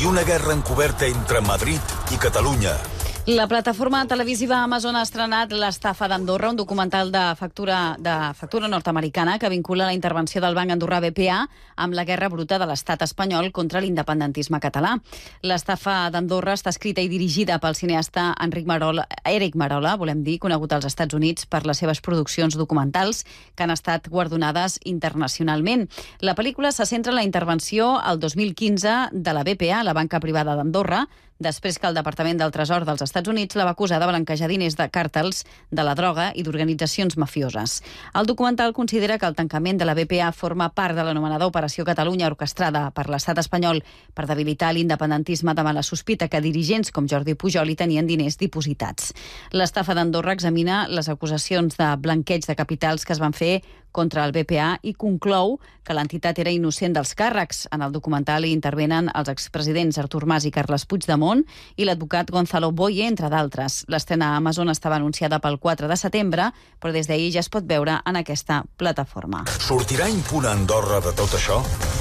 una guerra encoberta entre Madrid i Catalunya. La plataforma televisiva Amazon ha estrenat L'estafa d'Andorra, un documental de factura nord-americana que vincula la intervenció del banc andorrà BPA amb la guerra bruta de l'estat espanyol contra l'independentisme català. L'estafa d'Andorra està escrita i dirigida pel cineasta Eric Marola, conegut als Estats Units per les seves produccions documentals que han estat guardonades internacionalment. La pel·lícula se centra en la intervenció el 2015 de la BPA, la banca privada d'Andorra, després que el Departament del Tresor dels Estats Units la va acusar de blanquejar diners de càrtels, de la droga i d'organitzacions mafioses. El documental considera que el tancament de la BPA forma part de l'anomenada Operació Catalunya orquestrada per l'estat espanyol per debilitar l'independentisme davant la sospita que dirigents com Jordi Pujol hi tenien diners dipositats. L'estafa d'Andorra examina les acusacions de blanqueig de capitals que es van fer contra el BPA i conclou que l'entitat era innocent dels càrrecs. En el documental hi intervenen els expresidents Artur Mas i Carles Puigdemont i l'advocat Gonzalo Boye, entre d'altres. L'estrena a Amazon estava anunciada pel 4 de setembre, però des d'ahir ja es pot veure en aquesta plataforma. Sortirà impune Andorra de tot això?